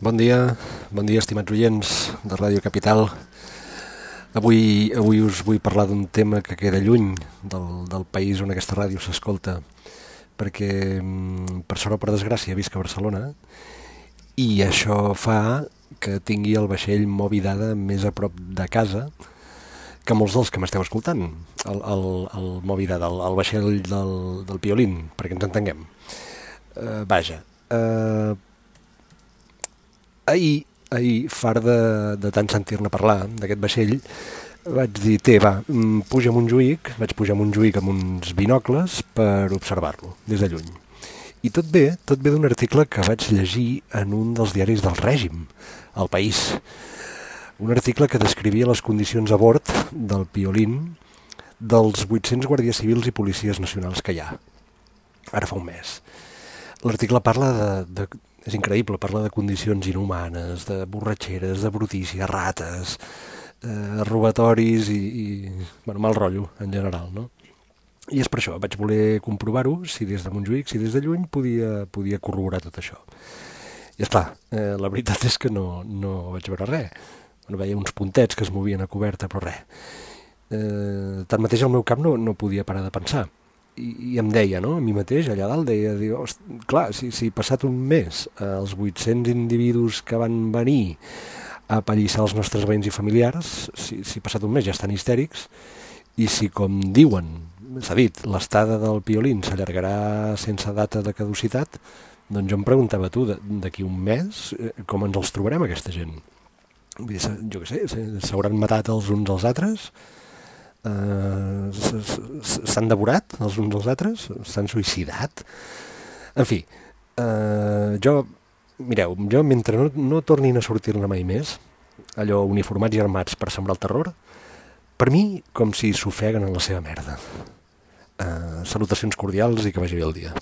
Bon dia, estimats oients de Ràdio Capital. Avui us vull parlar d'un tema que queda lluny del país on aquesta ràdio s'escolta, perquè, per sort o per desgràcia, visc a Barcelona, i això fa que tingui el vaixell Moby Dada més a prop de casa que molts dels que m'esteu escoltant. El Moby Dada, el vaixell del Piolín, perquè ens entenguem. Ahir, fart de tant sentir-ne parlar d'aquest vaixell, vaig dir, puja a Montjuïc, vaig pujar a Montjuïc amb uns binocles per observar-lo des de lluny. I tot ve d'un article que vaig llegir en un dels diaris del règim, El País. Un article que descrivia les condicions a bord del Piolín dels 800 guàrdies civils i policies nacionals que hi ha, ara fa un mes. L'article parla és increïble, parla de condicions inhumanes, de borratxeres, de brutícia, rates, robatoris i mal rotllo en general, no? I és per això, vaig voler comprovar-ho, si des de Montjuïc, si des de lluny podia corroborar tot això. I esclar, la veritat és que no vaig veure res. Veia uns puntets que es movien a coberta, però res. Tanmateix el meu cap no podia parar de pensar. I em deia, no?, a mi mateix, allà dalt, clar, si passat un mes els 800 individus que van venir a apallissar els nostres veïns i familiars, si passat un mes ja estan histèrics, i si, com diuen, s'ha dit, l'estada del Piolín s'allargarà sense data de caducitat, doncs jo em preguntava, d'aquí un mes, com ens els trobarem, aquesta gent? Vull dir, jo què sé, s'hauran matat els uns als altres? S'han devorat els uns als altres? S'han suïcidat? En fi, jo mentre no tornin a sortir-ne mai més, allò uniformats i armats per sembrar el terror, per mi com si s'ofeguen en la seva merda. Salutacions cordials i que vagi bé el dia.